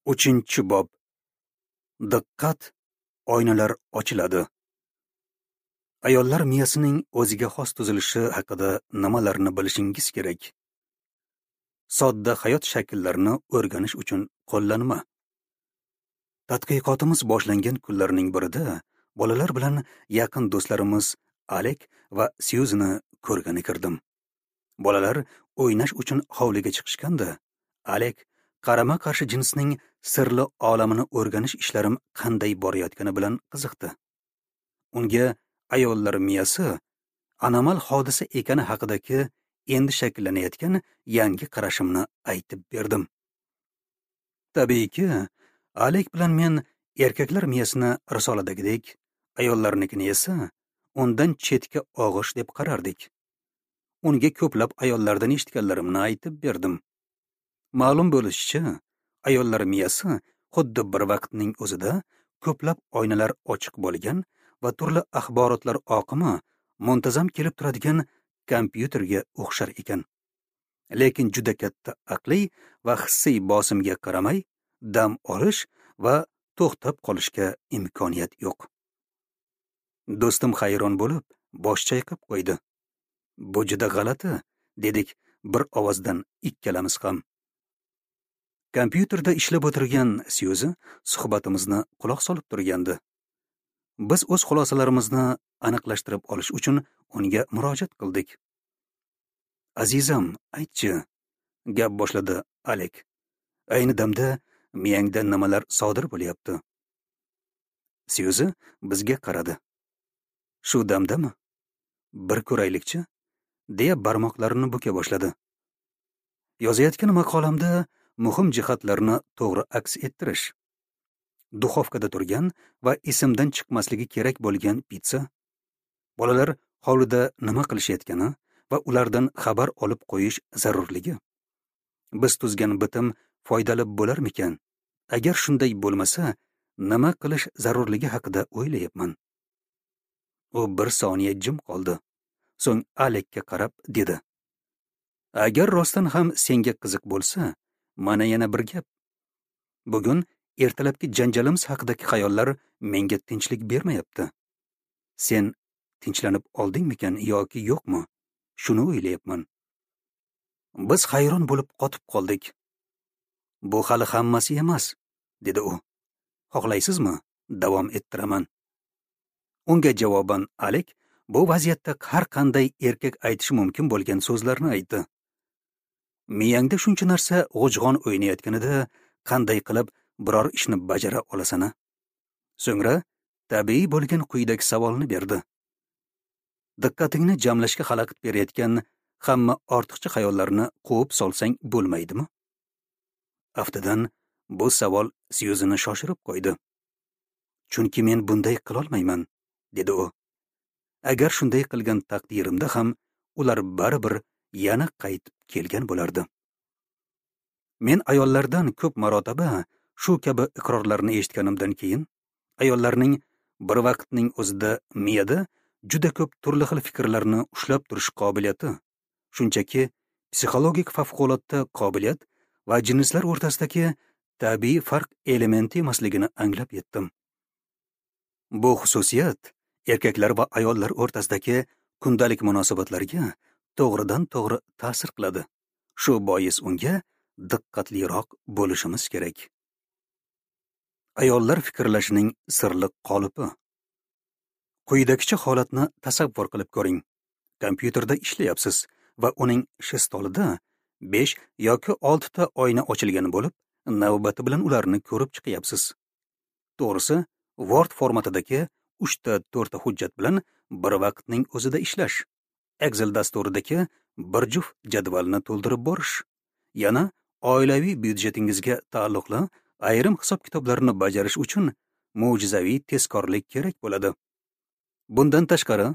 3-bob. Diqqat, oynalar ochiladi. Ayollar miyasining o'ziga xos tuzilishi haqida nimalarni bilishingiz kerak? Sodda hayot shakllarini o'rganish uchun qo'llanma. Tadqiqotimiz boshlangan kunlarning birida bolalar bilan yaqin do'stlarimiz Alek va Syuzini ko'rgani kirdim. Bolalar o'ynash uchun hovliga chiqishganda, Alek qarama-qarshi jinsning sirli olamini o'rganish ishlarim qanday borayotgani bilan qiziqdi. Unga ayollar miyasi anomal hodisa ekani haqidagi endi shakllanayotgan yangi qarashimni aytib berdim. Tabiiyki, Alek bilan men erkaklar miyasini risoladagidek, ayollarnikini esa undan chetga og'ish deb qarardik. Unga ko'plab ayollardan eshitganlarimni aytib berdim. Ma'lum bo'lishicha, ayollar miyasi xuddi bir vaqtning o'zida ko'plab oynalar ochiq bo'lgan va turli axborotlar oqimi muntazam kelib turadigan kompyuterga o'xshar ekan. Lekin juda katta aqliy va hissiy bosimga qaramay, dam olish va to'xtab qolishga imkoniyat yo'q. Do'stim hayron bo'lib, bosh chayqab qo'ydi. Bu juda g'alati, dedik bir ovozdan ikkalamiz ham. Kompyuterda ishlab o'tirgan Syuzi suhbatimizni quloq solib turgandi. Biz o'z xulosalarimizni aniqlashtirib olish uchun unga murojaat qildik. Azizam, aytchi, gap boshladi Alek. Ayni damda miyangda nimalar sodir bo'lyapti? Syuzi bizga qaradi. Shu damdami? Bir ko'raylikchi, deya barmoqlarini buka boshladi. Yozayotgan maqolamda muhim jihatlarni to'g'ri aks ettirish. Duxovkada turgan va esimdan chiqmasligi kerak bo'lgan pitsa, bolalar hovlida nima qilishayotgani va ulardan xabar olib qo'yish zarurligi. Biz tuzgan bitim foydali bo'larmikan? Agar shunday bo'lmasa, nima qilish zarurligi haqida o'ylayapman. U bir soniya jim qoldi. So'ng Alekka qarab dedi: Agar rostdan ham senga qiziq bo'lsa, mana yana bir gap. Bugun ertalabki janjalimiz haqidagi xayollar menga tinchlik bermayapti. Sen tinchlanib oldingmikan yoki yo'qmi? Shuni o'ylayapman. Biz hayron bo'lib qotib qoldik. Bu hali hammasi emas, dedi u. Xohlaysizmi? Davom ettiraman. Unga javoban Alek bu vaziyatda har qanday erkak aytishi mumkin bo'lgan so'zlarni aytdi. Miyangda shuncha narsa g'ujg'on o'ynayotganida qanday qilib biror ishni bajara olasan? So'ngra tabiiy bo'lgan quyidagi savolni berdi. Diqqatingni jamlashga xalaqit berayotgan hamma ortiqcha xayollarni quvib solsang bo'lmaydimi? Aftidan bu savol Syuzini shoshirib qo'ydi. Chunki men bunday qilolmayman, dedi u. Agar shunday qilgan taqdirimda ham ular baribir yana qaytib kelgan bo'lardi. Men ayollardan ko'p marotaba shu kabi iqrorlarni eshitganimdan keyin, ayollarning bir vaqtning o'zida miyada juda ko'p turli xil fikrlarni ushlab turish qobiliyati, shunchaki psixologik favqulodda qobiliyat va jinslar o'rtasidagi tabiiy farq elementi emasligini anglab yetdim. Bu xususiyat erkaklar va ayollar o'rtasidagi kundalik munosabatlarga to'g'ridan-to'g'ri ta'sir qiladi. Shu bois unga diqqatliroq bo'lishimiz kerak. Ayollar fikrlashining sirli qolipi. Quyidagicha holatni tasavvur qilib ko'ring. Kompyuterda ishlayapsiz va uning stolida 5 yoki 6 ta oyna ochilgan bo'lib, navbati bilan ularni ko'rib chiqyapsiz. To'g'risi, Word formatidagi 3 ta 4 ta hujjat bilan bir vaqtning o'zida ishlash, Excel dasturidagi bir juft jadvalni to'ldirib borish, yana oilaviy byudjetingizga taalluqli ayrim hisob-kitoblarni bajarish uchun mo'jizaviy tezkorlik kerak bo'ladi. Bundan tashqari,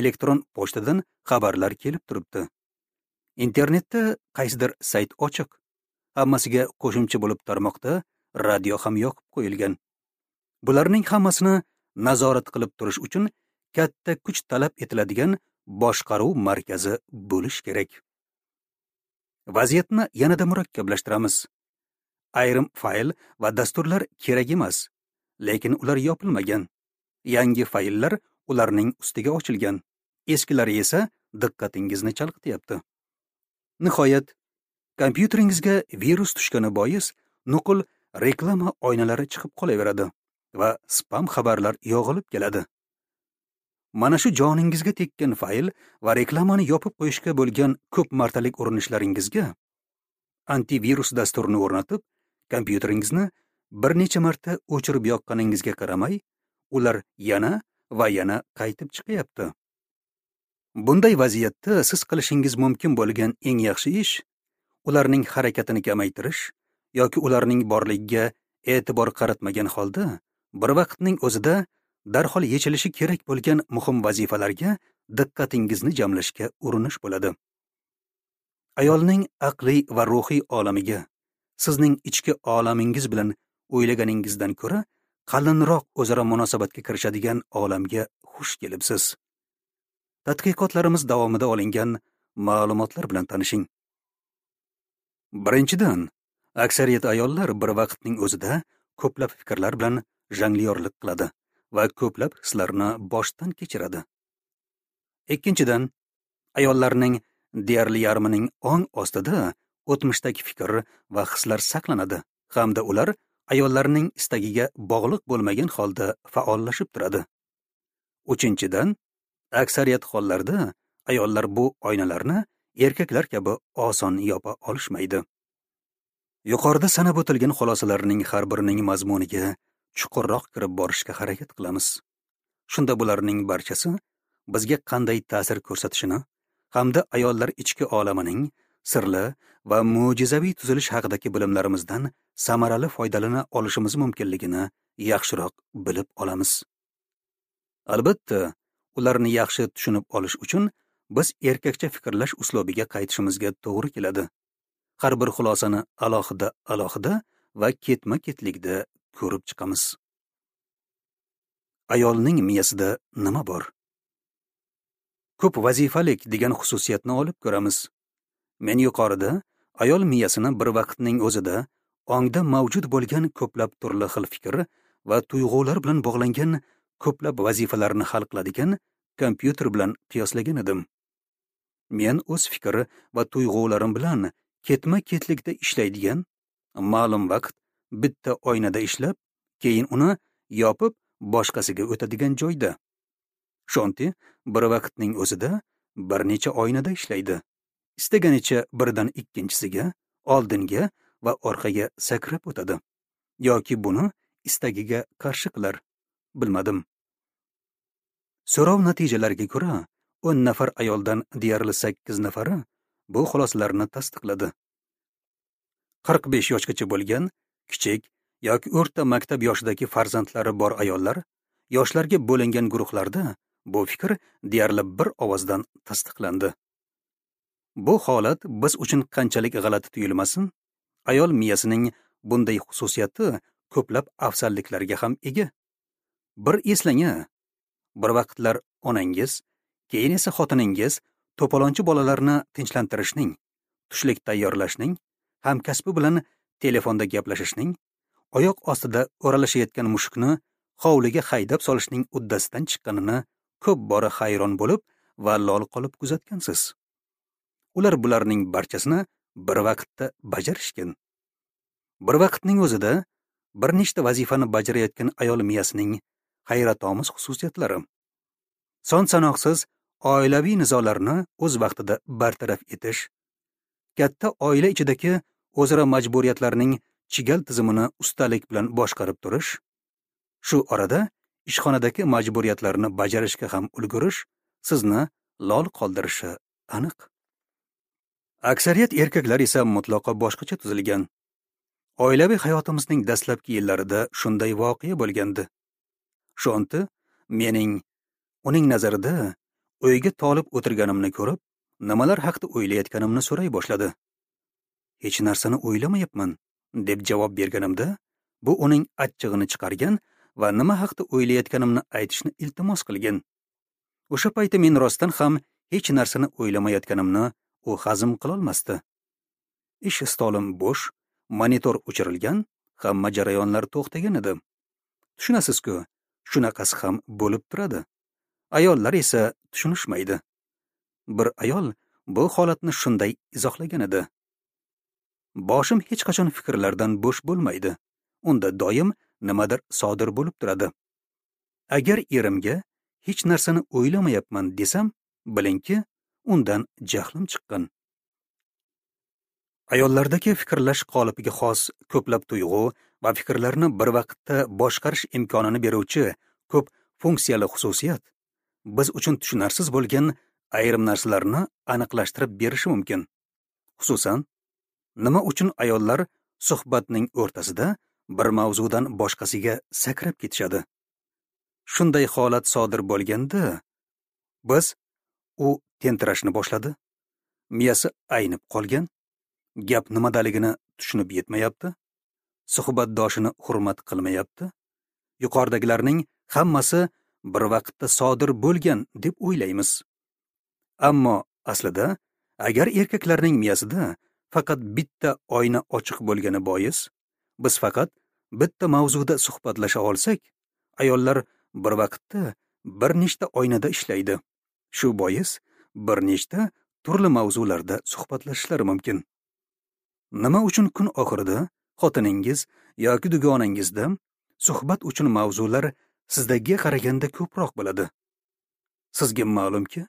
elektron pochtadan xabarlar kelib turibdi. Internetda qaysidir sayt ochiq. Hammasiga qo'shimcha bo'lib tarmoqda radio ham yoqib qo'yilgan. Bularning hammasini nazorat qilib turish uchun katta kuch talab etiladigan boshqaruv markazi bo'lish kerak. Vaziyatni yanada murakkablashtiramiz. Ayrim fayl va dasturlar kerak emas, lekin ular yopilmagan. Yangi fayllar ularning ustiga ochilgan. Eskilari esa diqqatingizni chalg'ityapti. Nihoyat, kompyuteringizga virus tushgani bois nuqul reklama oynalari chiqib qolaveradi va spam xabarlar yog'ilib keladi. Mana shu joningizga tekkan fayl va reklamani yopib qo'yishga bo'lgan ko'p martalik urinishlaringizga antivirus dasturini o'rnatib, kompyuteringizni bir necha marta o'chirib yoqqaningizga qaramay, ular yana va yana qaytib chiqyapti. Bunday vaziyatda siz qilishingiz mumkin bo'lgan eng yaxshi ish ularning harakatini kamaytirish yoki ularning borligiga e'tibor qaratmagan holda bir vaqtning o'zida darhol yechilishi kerak bo'lgan muhim vazifalarga diqqatingizni jamlashga urinish bo'ladi. Ayolning aqliy va ruhiy olamiga sizning ichki olamingiz bilan o'ylaganingizdan ko'ra qalinroq o'zaro munosabatga kirishadigan olamga xush kelibsiz. Tadqiqotlarimiz davomida olingan ma'lumotlar bilan tanishing. Birinchidan, aksariyat ayollar bir vaqtning o'zida ko'plab fikrlar bilan jonglyorlik qiladi va ko'plab hislarni boshdan kechiradi. Ikkinchidan, ayollarning deyarli yarmining ong ostida o'tmishdagi fikr va hislar saqlanadi hamda ular ayollarning istagiga bog'liq bo'lmagan holda faollashib turadi. Uchinchidan, aksariyat hollarda ayollar bu oynalarni erkaklar kabi oson yopa olishmaydi. Yuqorida sanab o'tilgan xulosalarning har birining mazmuniga chuqurroq kirib borishga harakat qilamiz. Shunda bularning barchasi bizga qanday ta'sir ko'rsatishini hamda ayollar ichki olamining sirli va mo'jizaviy tuzilish haqidagi bilimlarimizdan samarali foydalana olishimiz mumkinligini yaxshiroq bilib olamiz. Albatta, ularni yaxshi tushunib olish uchun biz erkakcha fikrlash uslubiga qaytishimizga to'g'ri keladi. Har bir xulosani alohida va ketma-ketlikda ko'rib chiqamiz. Ayolning miyasida nima bor? Ko'p vazifalik degan xususiyatni olib ko'ramiz. Men yuqorida ayol miyasini bir vaqtning o'zida ongda mavjud bo'lgan ko'plab turli xil fikr va tuyg'ular bilan bog'langan ko'plab vazifalarni hal qiladigan kompyuter bilan qiyoslagan edim. Men o'z fikr va tuyg'ularim bilan ketma-ketlikda ishlaydigan, ma'lum vaqt bitta oynada ishlab, keyin uni yopib boshqasiga o'tadigan joyda. Shonti bir vaqtning o'zida bir necha oynada ishlaydi. Istaganicha birdan ikkinchisiga, oldinga va orqaga sakrab o'tadi. Yoki buni istagiga qarshi qilar. Bilmadim. So'rov natijalariga ko'ra, 10 nafar ayoldan deyarli 8 nafari bu xulosalarni tasdiqladi. 45 yoshgacha bo'lgan kichik yoki o'rta maktab yoshidagi farzandlari bor ayollar yoshlarga bo'lingan guruhlarda bu fikr deyarli bir ovozdan tasdiqlandi. Bu holat biz uchun qanchalik g'alati tuyulmasin, ayol miyasining bunday xususiyati ko'plab afzalliklarga ham ega. Bir eslang-a, bir vaqtlar onangiz, keyin esa xotiningiz to'polonchi bolalarni tinchlantirishning, tushlik tayyorlashning, hamkasbi bilan telefonda gaplashishning, oyoq ostida o'ralashayotgan mushukni hovliga haydab solishning uddasidan chiqqanini ko'p bora hayron bo'lib va lol qolib kuzatgansiz. Ular bularning barchasini bir vaqtda bajarishgan. Bir vaqtning o'zida bir nechta vazifani bajarayotgan ayol miyasining hayratomuz xususiyatlari. Son-sanoqsiz oilaviy nizolarni o'z vaqtida bartaraf etish, katta oila ichidagi o'zaro majburiyatlarning chigal tizimini ustalik bilan boshqarib turish, shu orada ishxonadagi majburiyatlarni bajarishga ham ulgurish sizni lol qoldirishi aniq. Aksariyat erkaklar esa mutlaqo boshqacha tuzilgan. Oilaviy hayotimizning dastlabki yillarida shunday voqea bo'lgandi. Shonti mening uning nazarida uyga tolib o'tirganimni ko'rib, nimalar haqida o'ylayotganimni so'ray boshladi. Hech narsani o'ylamayapman, deb javob berganimda, bu uning achchig'ini chiqargan va nima haqida o'ylayotganimni aytishni iltimos qilgan. O'sha paytda men rostdan ham hech narsani o'ylamayotganimni u hazm qilolmasdi. Ish stolim bo'sh Monitor o'chirilgan, hamma jarayonlar to'xtagan edi. Tushunasiz-ku, shunaqasi ham bo'lib turadi. Ayollar esa tushunishmaydi. Bir ayol bu holatni shunday izohlagan edi: Boshim hech qachon fikrlardan bo'sh bo'lmaydi. Unda doim nimadir sodir bo'lib turadi. Agar erimga hech narsani o'ylamayapman desam, bilingki, undan jahlim chiqqan. Ayollardagi fikrlash qolipiga xos ko'plab tuyg'u va fikrlarni bir vaqtda boshqarish imkonini beruvchi ko'p funksiyali xususiyat biz uchun tushunarsiz bo'lgan ayrim narsalarni aniqlashtirib berishi mumkin. Xususan, nima uchun ayollar suhbatning o'rtasida bir mavzudan boshqasiga sakrab ketishadi? Shunday holat sodir bo'lganda biz u tentirashni boshladi, miyasi aynib qolgan, gap nimadaligini tushunib yetmayapti, suhbatdoshini hurmat qilmayapti. Yuqoridagilarning hammasi bir vaqtda sodir bo'lgan deb o'ylaymiz. Ammo aslida agar erkaklarning miyasida faqat bitta oyna ochiq bo'lgani bois, biz faqat bitta mavzuda suhbatlasha olsak, ayollar bir vaqtda bir nechta oynada ishlaydi. Shu bois bir nechta turli mavzularda suhbatlashishlari mumkin. Nima uchun kun oxirida xotiningiz yoki dugonangizda suhbat uchun mavzular sizdagiga qaraganda ko'proq bo'ladi? Sizga ma'lumki,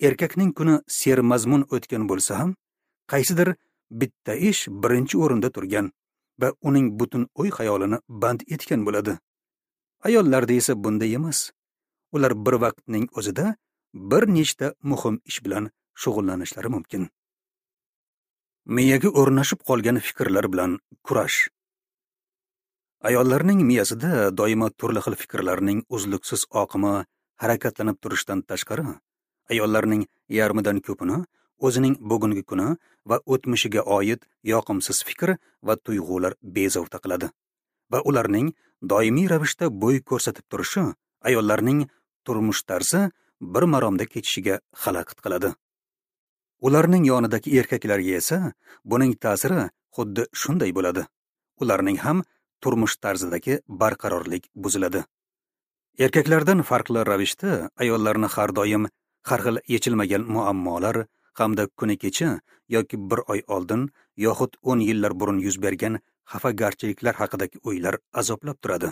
erkakning kuni sermazmun o'tgan bo'lsa ham, qaysidir bitta ish birinchi o'rinda turgan va uning butun o'y-xayolini band etgan bo'ladi. Ayollarda esa bunday emas. Ular bir vaqtning o'zida bir nechta muhim ish bilan shug'ullanishlari mumkin. Miyaga o'rnashib qolgan fikrlar bilan kurash. Ayollarning miyasida doimo turli xil fikrlarning uzluksiz oqimi harakatlanib turishidan tashqari, ayollarning yarmidan ko'pini o'zining bugungi kuni va o'tmishiga oid yoqimsiz fikr va tuyg'ular bezovta qiladi. Va ularning doimiy ravishda bo'y ko'rsatib turishi ayollarning turmush tarzi bir maromda kechishiga xalaqit qiladi. Ularning yonidagi erkaklarga esa buning ta'siri xuddi shunday bo'ladi. Ularning ham turmush tarzidagi barqarorlik buziladi. Erkaklardan farqli ravishda ayollarni har doim har xil yechilmagan muammolar hamda kuni kecha yoki bir oy oldin yoxud 10 yillar burun yuz bergan xafagarchiliklar haqidagi o'ylar azoblab turadi.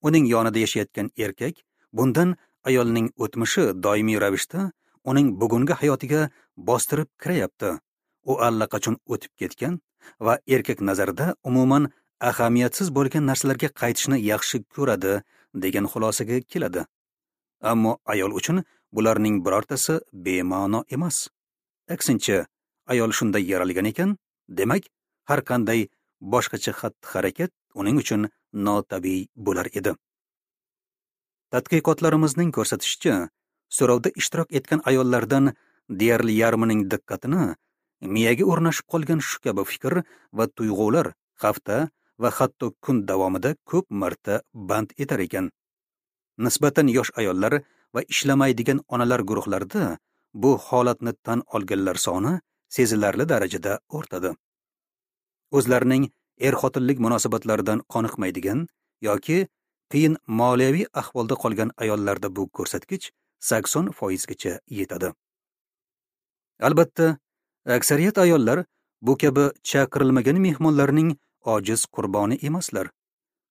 Uning yonida yashayotgan erkak bundan ayolning o'tmishi doimiy ravishda uning bugungi hayotiga bostirib kirayapti. U allaqachon o'tib ketgan va erkak nazarida umuman ahamiyatsiz bo'lgan narsalarga qaytishni yaxshi ko'radi degan xulosaga keladi. Ammo ayol uchun bularning birortasi bema'no emas. Aksincha, ayol shunday yaralgan ekan, demak, har qanday boshqacha xatti-harakat uning uchun notabiiy bo'lar edi. Tadqiqotlarimizning ko'rsatishicha, so'rovda ishtirok etgan ayollardan deyarli yarmining diqqatini miyaga o'rnashib qolgan shu kabi fikr va tuyg'ular hafta va hatto kun davomida ko'p marta band etar ekan. Nisbatan yosh ayollar va ishlamaydigan onalar guruhlarida bu holatni tan olganlar soni sezilarli darajada ortadi. O'zlarining er-xotinlik munosabatlaridan qoniqmaydigan yoki qiyin moliyaviy ahvolda qolgan ayollarda bu ko'rsatkich 80% gacha yetadi. Albatta, aksariyat ayollar bu kabi chaqirilmagan mehmonlarning ojiz qurboni emaslar.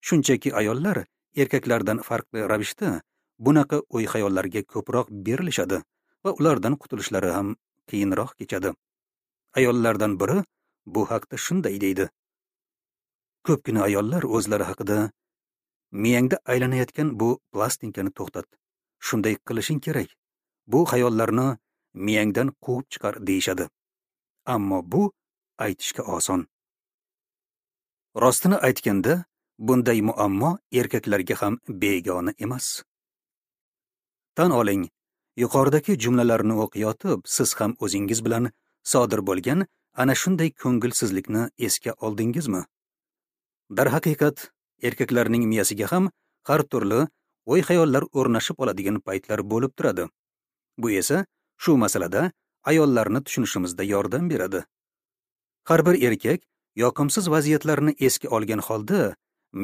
Shunchaki ayollar erkaklardan farqli ravishda bunaqa o'y-xayollarga ko'proq berilishadi va ulardan qutulishlari ham qiyinroq kechadi. Ayollardan biri bu haqda shunday deydi: Ko'pgina ayollar o'zlari haqida miyangda aylanayotgan bu plastinkani to'xtat. Shunday qilishing kerak. Bu xayollarni miyangdan quvib chiqar deyishadi. Ammo bu aytishga oson. Rostini aytganda, bunday muammo erkaklarga ham begona emas. Tan oling, yuqoridagi jumlalarni o'qiyotib, siz ham o'zingiz bilan sodir bo'lgan ana shunday ko'ngilsizlikni esga oldingizmi? Darhaqiqat, erkaklarning miyasiga ham har turli o'y-xayollar o'rnashib oladigan paytlar bo'lib turadi. Bu esa shu masalada ayollarni tushunishimizda yordam beradi. Har bir erkak yoqimsiz vaziyatlarni esga olgan holda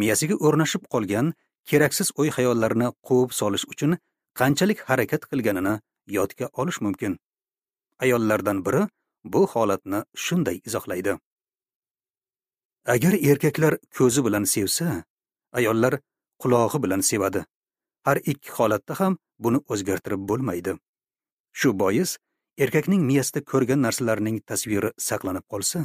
miyasiga o'rnashib qolgan keraksiz o'y-xayollarni quvib solish uchun qanchalik harakat qilganini yodga olish mumkin. Ayollardan biri bu holatni shunday izohlaydi: Agar erkaklar ko'zi bilan sevsa, ayollar qulog'i bilan sevadi. Har ikki holatda ham buni o'zgartirib bo'lmaydi. Shu bois erkakning miyasida ko'rgan narsalarning tasviri saqlanib qolsa,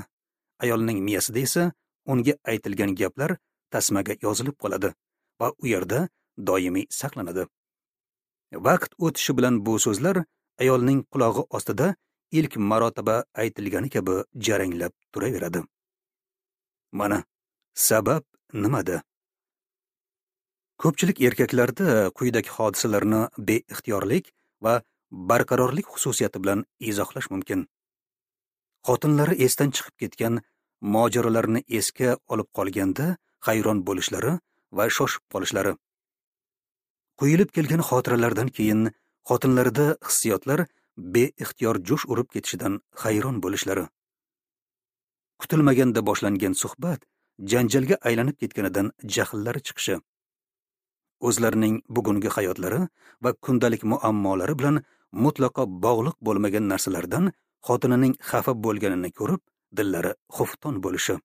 ayolning miyasida esa unga aytilgan gaplar tasmaga yozilib qoladi va u yerda doimiy saqlanadi. Vaqt o'tishi bilan bu so'zlar ayolning qulog'i ostida ilk marotaba aytilgani kabi jaranglab turaveradi. Mana sabab nimada? Ko'pchilik erkaklarda quyidagi hodisalarni beixtiyorlik va barqarorlik xususiyati bilan izohlash mumkin. Xotinlari esdan chiqib ketgan mojarolarni esga olib qolganda hayron bo'lishlari va shoshib qolishlari. Quyilib kelgan xotiralardan keyin xotinlarida hissiyotlar beixtiyor jo'sh urib ketishidan hayron bo'lishlari. Kutilmaganda boshlangan suhbat janjalga aylanib ketganidan jahllari chiqishi. O'zlarining bugungi hayotlari va kundalik muammolari bilan mutlaqo bog'liq bo'lmagan narsalardan xotinining xafa bo'lganini ko'rib, dillari xufton bo'lishi.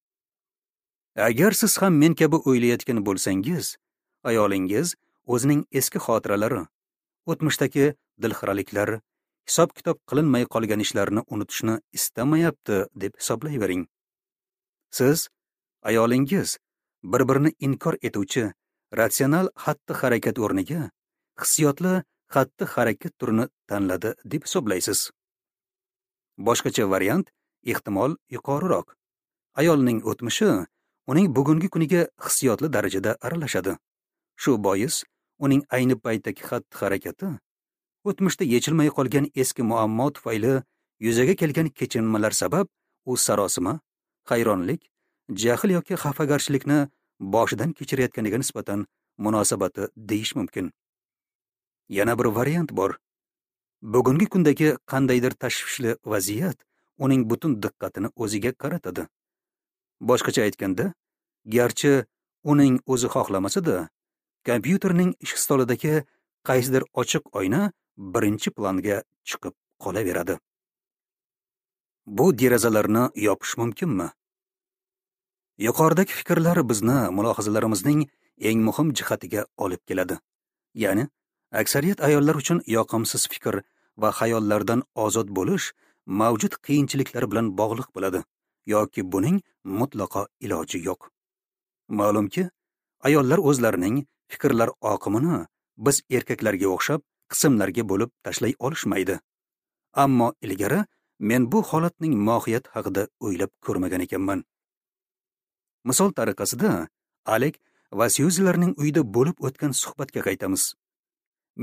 Agar siz ham men kabi o'ylayotgan bo'lsangiz, ayolingiz o'zining eski xotiralari, o'tmishdagi dilxiraliklar, hisob-kitob qilinmay qolgan ishlarni unutishni istamayapti deb hisoblayvering. Siz, ayolingiz bir-birini inkor etuvchi ratsional xatti-harakat o'rniga hissiyotli xatti-harakat turini tanladi deb hisoblaysiz. Boshqacha variant ehtimol yuqoriroq. Ayolning o'tmishi uning bugungi kuniga hissiyotli darajada aralashadi. Shu bois uning ayni paytdagi xatti-harakati o'tmishda yechilmay qolgan eski muammo tufayli yuzaga kelgan kechinmalar sabab u sarosima, hayronlik, jahl yoki xafagarchilikni boshidan kechirayotganiga nisbatan munosabati deyish mumkin. Yana bir variant bor. Bugungi kundagi qandaydir tashvishli vaziyat uning butun diqqatini o'ziga qaratadi. Boshqacha aytganda, garchi uning o'zi xohlamasa-da, kompyuterning ish stolidagi qaysidir ochiq oyna birinchi planga chiqib qolaveradi. Bu derazalarni yopish mumkinmi? Yuqoridagi fikrlar bizni mulohazalarimizning eng muhim jihatiga olib keladi. Ya'ni, aksariyat ayollar uchun yoqimsiz fikr va xayollardan ozod bo'lish mavjud qiyinchiliklar bilan bog'liq bo'ladi yoki buning mutlaqo iloji yo'q. Ma'lumki, ayollar o'zlarining fikrlar oqimini biz erkaklarga o'xshab qismlarga bo'lib tashlay olishmaydi. Ammo ilgari men bu holatning mohiyati haqida o'ylab ko'rmagan ekanman. Misol tariqasida Alek va Syuzilarning uyida bo'lib o'tgan suhbatga qaytamiz.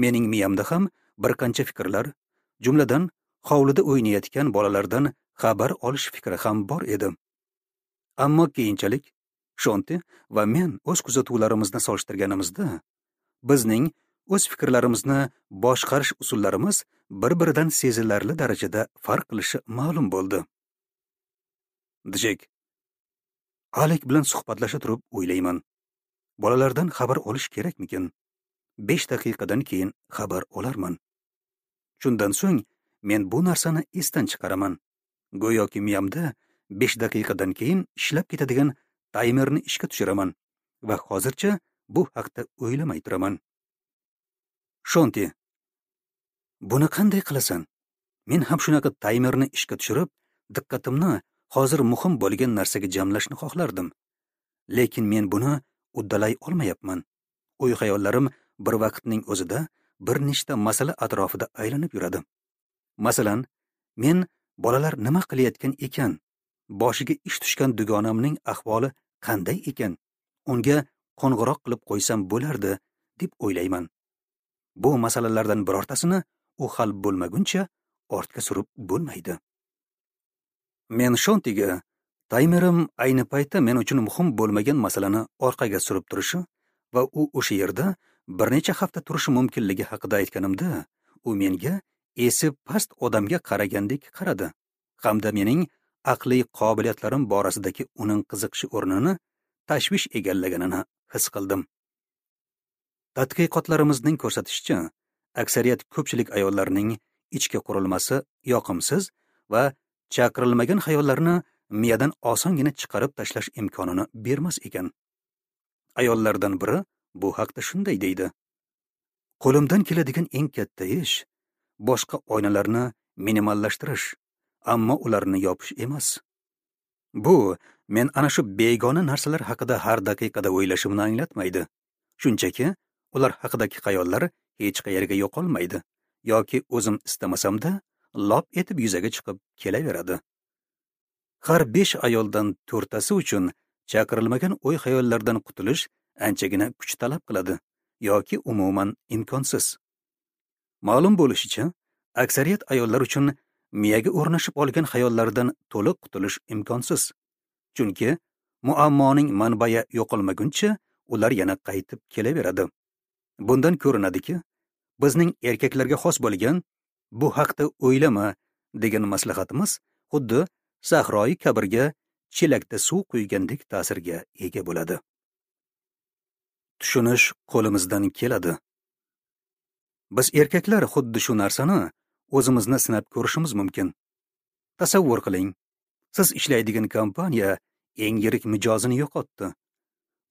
Mening miyamda ham bir qancha fikrlar, jumladan hovlida o'ynayotgan bolalardan xabar olish fikri ham bor edi. Ammo keyinchalik Shonti va men o'z kuzatuvlarimizni solishtirganimizda, bizning o'z fikrlarimizni boshqarish usullarimiz bir-biridan sezilarli darajada farq qilishi ma'lum bo'ldi. Jek, Alek bilan suhbatlasha turib o'ylayman. Bolalardan xabar olish kerakmikin? 5 daqiqadan keyin xabar olarman. Shundan so'ng men bu narsani esdan chiqaraman. Go'yoki miyamda 5 daqiqadan keyin ishlab ketadigan taymerni ishga tushiraman va hozircha bu haqda o'ylamay turaman. Shonti, buni qanday qilasan? Men ham shunaqa taymerni ishga tushirib, diqqatimni hozir muhim bo'lgan narsaga jamlashni xohlardim. Lekin men buni uddalay olmayapman. O'y-xayollarim bir vaqtning o'zida bir nechta masala atrofida aylanib yuradi. Masalan, men bolalar nima qilayotgan ekan, boshiga ish tushgan dugonamning ahvoli qanday ekan, unga qo'ng'iroq qilib qo'ysam bo'lardi deb o'ylayman. Bu masalalardan birortasini u hal bo'lmaguncha ortga surib bo'lmaydi. Men Shontiga taymerim ayni paytda men uchun muhim bo'lmagan masalani orqaga surib turishi va u o'sha yerda bir necha hafta turishi mumkinligi haqida aytganimda, u menga esi past odamga qaragandek qaradi hamda mening aqliy qobiliyatlarim borasidagi uning qiziqishi o'rnini tashvish egallaganini his qildim. Tadqiqotlarimizning ko'rsatishicha, aksariyat ko'pchilik ayollarning ichki qurilmasi yoqimsiz va chaqirilmagan xayollarni miyadan osongina chiqarib tashlash imkonini bermas ekan. Ayollardan biri bu haqda shunday deydi: "Qo'limdan keladigan eng katta ish boshqa oynalarni minimallashtirish, ammo ularni yopish emas. Bu men ana shu begona narsalar haqida har daqiqada o'ylashimni anglatmaydi. Shunchaki ular haqidagi xayollar hech qayerga yo'qolmaydi yoki o'zim istamasamda lop etib yuzaga chiqib kelaveradi." Har 5 ayoldan 4tasi uchun chaqirilmagan o'y-xayollardan qutulish anchagina kuch talab qiladi yoki umuman imkonsiz. Ma'lum bo'lishicha, aksariyat ayollar uchun miyaga o'rnashib olgan xayollardan to'liq qutulish imkonsiz. Chunki muammoning manbai yo'qolmaguncha ular yana qaytib kelaveradi. Bundan ko'rinadiki, bizning erkaklarga xos bo'lgan "bu haqda o'ylama" degan maslahatimiz xuddi sahroyi kabrga chelakda suv quygandek ta'sirga ega bo'ladi. Tushunish qo'limizdan keladi. Biz erkaklar xuddi shu narsani o'zimizni sinab ko'rishimiz mumkin. Tasavvur qiling, siz ishlaydigan kompaniya eng yirik mijozini yo'qotdi.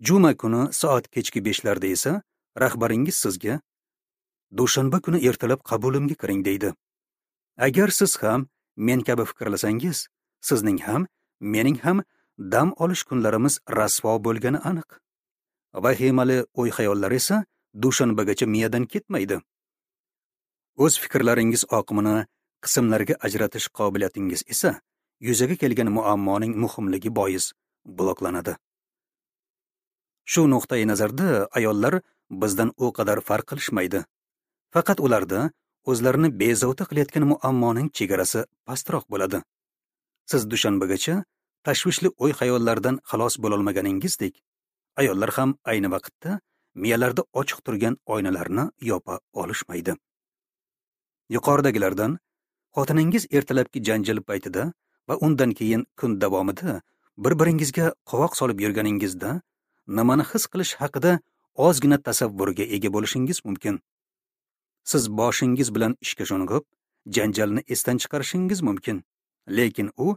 Juma kuni soat kechki 5 larda esa rahbaringiz sizga "Dushanba kuni ertalab qabulimga kiring" deydi. Agar siz ham men kabi fikrlasangiz, sizning ham, mening ham dam olish kunlarimiz rasvo bo'lgani aniq. Vahimali o'y-xayollar esa dushanbagacha miyadan ketmaydi. O'z fikrlaringiz oqimini qismlarga ajratish qobiliyatingiz esa yuzaga kelgan muammoning muhimligi bois bloklanadi. Shu nuqtai nazarda ayollar bizdan u qadar farq qilishmaydi. Faqat ularda o'zlarini bezovta qilayotgan muammoning chegarasi pastroq bo'ladi. Siz dushanbagacha tashvishli o'y-xayollardan xalos bo'lolmaganingizdek, ayollar ham ayni vaqtda miyalarda ochiq turgan oynalarni yopa olishmaydi. Yuqoridagilardan xotiningiz ertalabki janjal paytida va undan keyin kun davomida bir-biringizga qovoq solib yurganingizda nimani his qilish haqida ozgina tasavvurga ega bo'lishingiz mumkin. Siz boshingiz bilan ishga sho'ng'ib, janjalni esdan chiqarishingiz mumkin, lekin u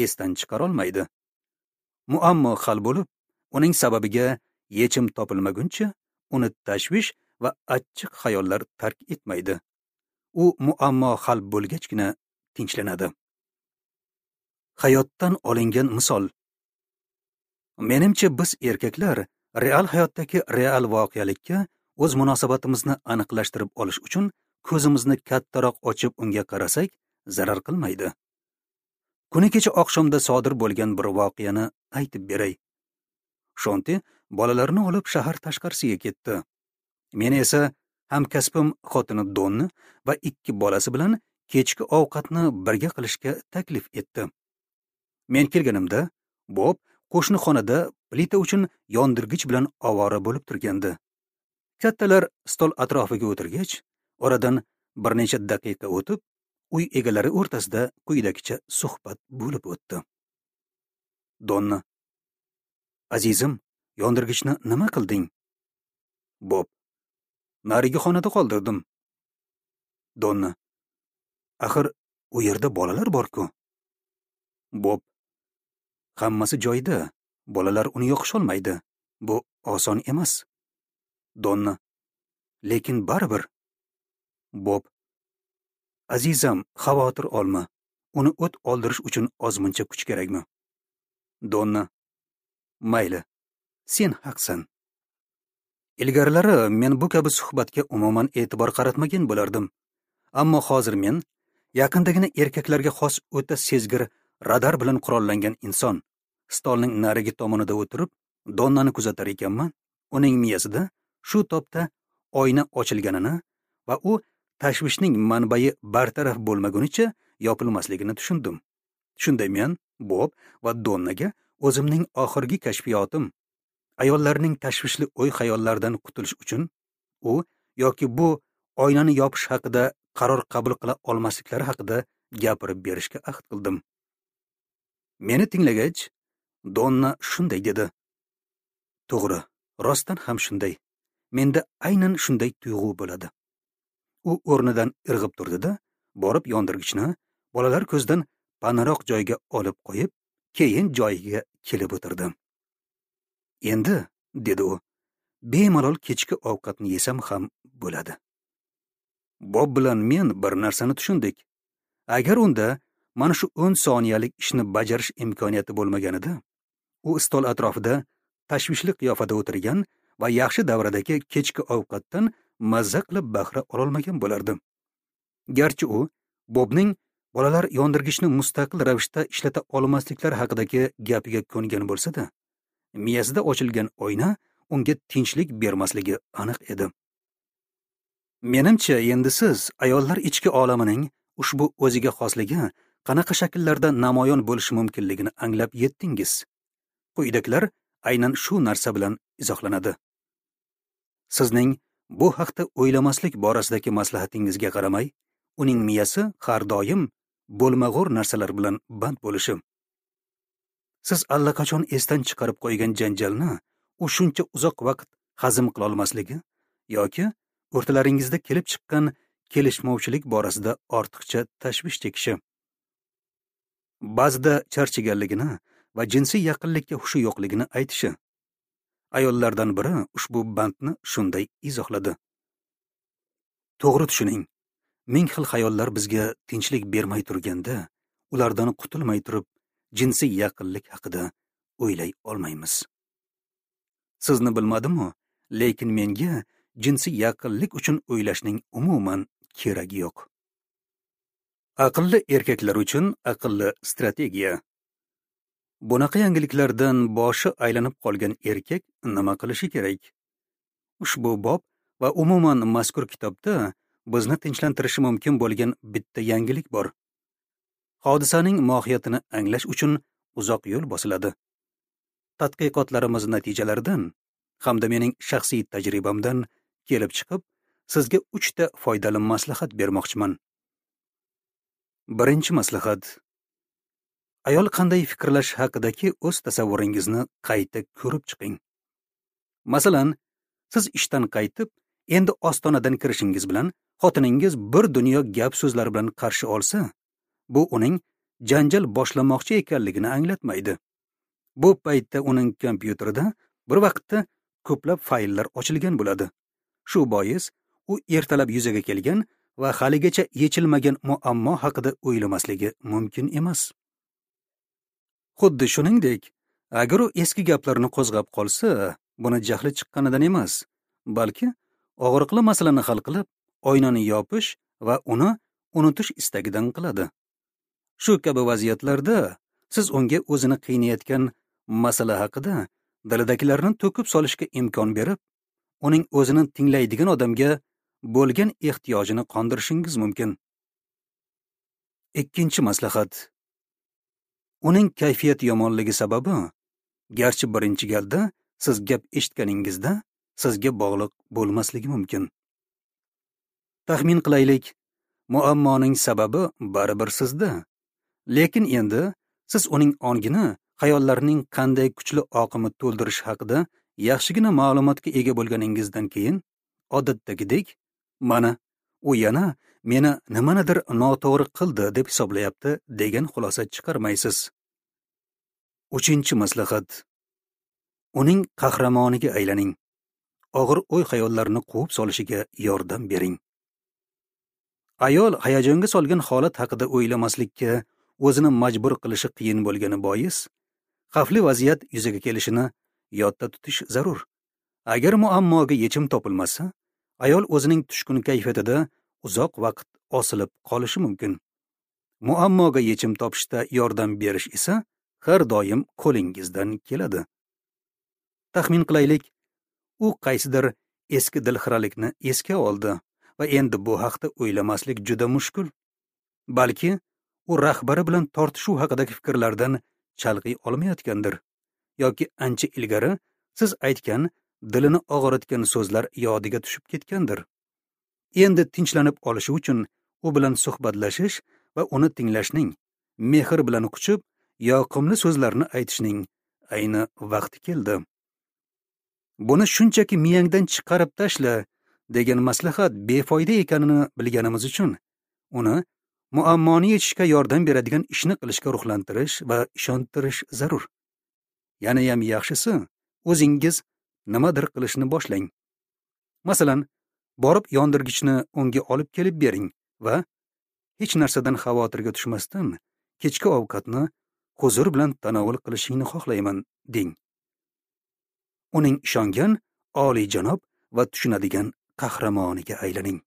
esdan chiqara olmaydi. Muammo hal bo'lib, uning sababiga yechim topilmaguncha uni tashvish va achchiq xayollar tark etmaydi. U muammo hal bo'lgachgina tinchlanadi. Hayotdan olingan misol. Menimcha biz erkaklar real hayotdagi real voqelikka o'z munosabatimizni aniqlashtirib olish uchun ko'zimizni kattaroq ochib unga qarasak zarar qilmaydi. Kuni kecha oqshomda sodir bo'lgan bir voqeani aytib beray. Shonti bolalarni olib shahar tashqarisiga ketdi. Men esa hamkasbim xotini Donni va 2 bolasi bilan kechki ovqatni birga qilishga taklif etdi. Men kelganimda Bob qo'shni xonada plita uchun yondirgich bilan ovora bo'lib turgandi. Kattalar stol atrofiga o'tirgach, oradan bir necha daqiqa o'tib, uy egalari o'rtasida quyidagicha suhbat bo'lib o'tdi. Donna: "Azizim, yondirgichni nima qilding?" Bob: "Narigi xonada qoldirdim." Donna: "Axir u yerda bolalar bor-ku." Bob: "Hammasi joyida, bolalar uni yoqisholmaydi. Bu oson emas." Donna: "Lekin baribir." Bob: "Azizam, xavotir olma. Uni o't oldirish uchun ozmuncha kuch kerakmi?" Donna: "Mayli, sen haqsan." Ilgarilari men bu kabi suhbatga umuman e'tibor qaratmagan bo'lardim. Ammo hozir men yaqindagina erkaklarga xos o'ta sezgir radar bilan qurollangan inson stolning narigi tomonida o'tirib Donnani kuzatar ekanman, uning miyasida shu topda oyna ochilganini va u tashvishning manbai bartaraf bo'lmagunicha yopilmasligini tushundim. Shunda men Bob va Donnaga o'zimning oxirgi kashfiyotim, ayollarning tashvishli o'y-xayollardan qutulish uchun u yoki bu oynani yopish haqida qaror qabul qila olmasliklari haqida gapirib berishga ahd qildim. Meni tinglagach, Donna shunday dedi: "To'g'ri, rostdan ham shunday. Menda aynan shunday tuyg'u bo'ladi." U o'rnidan irg'ib turdi-da, borib yondirgichni bolalar ko'zidan panaroq joyga olib qo'yib, keyin joyiga kelib o'tirdi. "Endi", dedi u, "bemalol kechki ovqatni yesam ham bo'ladi." Bob bilan men bir narsani tushundik. Agar unda mana shu 10 soniyalik ishni bajarish imkoniyati bo'lmaganida, u stol atrofida tashvishli qiyofada o'tirgan va yaxshi davradagi kechki ovqatdan mazza qilib bahra ololmagan bo'lardi. Garchi u Bobning bolalar yondirgichni mustaqil ravishda ishlata olmasliklari haqidagi gapiga ko'ngan bo'lsa-da, miyasida ochilgan oyna unga tinchlik bermasligi aniq edi. Menimcha, endi siz ayollar ichki olamining ushbu o'ziga xosligi qanaqa shakllarda namoyon bo'lishi mumkinligini anglab yetdingiz. Quyidagilar aynan shu narsa bilan izohlanadi. Sizning bu haqda o'ylamaslik borasidagi maslahatingizga qaramay, uning miyasi har doim bo'lmag'ur narsalar bilan band bo'lishi. Siz allaqachon esdan chiqarib qo'ygan janjalni u shuncha uzoq vaqt hazm qila olmasligi yoki o'rtalaringizda kelib chiqqan kelishmovchilik borasida ortiqcha tashvish chekishi. Ba'zida charchaganligini va jinsiy yaqinlikka hushi yo'qligini aytishi. Ayollardan biri ushbu bandni shunday izohladi: "To'g'ri tushuning. Ming xil xayollar bizga tinchlik bermay turganda, ulardan qutulmay turib, jinsiy yaqinlik haqida o'ylay olmaymiz. Sizni bilmadim-u, lekin menga jinsiy yaqinlik uchun o'ylashning umuman keragi yo'q." Aqlli erkaklar uchun aqlli strategiya. Bunaqa yangiliklardan boshi aylanib qolgan erkak nima qilishi kerak? Ushbu bob va umuman mazkur kitobda bizni tinchlantirishi mumkin bo'lgan bitta yangilik bor. Hodisaning mohiyatini anglash uchun uzoq yo'l bosiladi. Tadqiqotlarimiz natijalaridan hamda mening shaxsiy tajribamdan kelib chiqib, sizga 3 ta foydali maslahat bermoqchiman. Birinchi maslahat: ayol qanday fikrlash haqidagi o'z tasavvuringizni qayta ko'rib chiqing. Masalan, siz ishdan qaytib, endi ostonadan kirishingiz bilan xotiningiz bir dunyo gap so'zlar bilan qarshi olsa, bu uning janjal boshlamoqchi ekanligini anglatmaydi. Bu paytda uning kompyuterida bir vaqtda ko'plab fayllar ochilgan bo'ladi. Shu bois u ertalab yuzaga kelgan va haligacha yechilmagan muammo haqida o'ylamasligi mumkin emas. Xuddi shuningdek, agar u eski gaplarni qo'zg'ab qolsa, buni jahli chiqqanidan emas, balki og'riqli masalani hal qilib, oynani yopish va uni unutish istagidan qiladi. Shu kabi vaziyatlarda siz unga o'zini qiynayotgan masala haqida dilidagilarni to'kib solishga imkon berib, uning o'zini tinglaydigan odamga bo'lgan ehtiyojini qondirishingiz mumkin. Ikkinchi maslahat: uning kayfiyati yomonligi sababi, garchi birinchi galda siz gap eshitganingizda sizga bog'liq bo'lmasligi mumkin. Taxmin qilaylik, muammoning sababi baribir sizda. Lekin endi siz uning ongini xayollarining qanday kuchli oqimi to'ldirish haqida yaxshigina ma'lumotga ega bo'lganingizdan keyin, odatdagidek, mana u yana meni nimanidir noto'g'ri qildi deb hisoblayapti degan xulosa chiqarmaysiz. Uchinchi maslahat: uning qahramoniga aylaning. Og'ir o'y-xayollarni quvib solishiga yordam bering. Ayol hayajonga solgan holat haqida o'ylamaslikka o'zini majbur qilishi qiyin bo'lgani bois, xavfli vaziyat yuzaga kelishini yodda tutish zarur. Agar muammoga yechim topilmasa, ayol o'zining tushkun kayfiyatida uzoq vaqt osilib qolishi mumkin. Muammoga yechim topishda yordam berish esa har doim qo'lingizdan keladi. Taxmin qilaylik, u qaysidir eski dilxiralikni esga oldi va endi bu haqda o'ylamaslik juda mushkul. Balki u rahbari bilan tortishuv haqidagi fikrlardan chalg'iy olmayotgandir yoki ancha ilgari siz aytgan dilini og'ritgan so'zlar yodiga tushib ketgandir. Endi tinchlanib olishi uchun u bilan suhbatlashish va uni tinglashning, mehr bilan quchib yoqimli so'zlarni aytishning ayni vaqti keldi. Buni shunchaki miyangdan chiqarib tashla degan maslahat befoyda ekanini bilganimiz uchun uni muammoni yechishga yordam beradigan ishni qilishga ruhlantirish va ishontirish zarur. Yanayam yaxshisi, o'zingiz nimadir qilishni boshlang. Masalan, borib yondirgichni unga olib kelib bering va hech narsadan xavotirga tushmasdan kechki ovqatni huzur bilan tanovul qilishingni xohlayman, deng. Uning ishongan, oliyjanob va tushunadigan qahramoniga aylaning.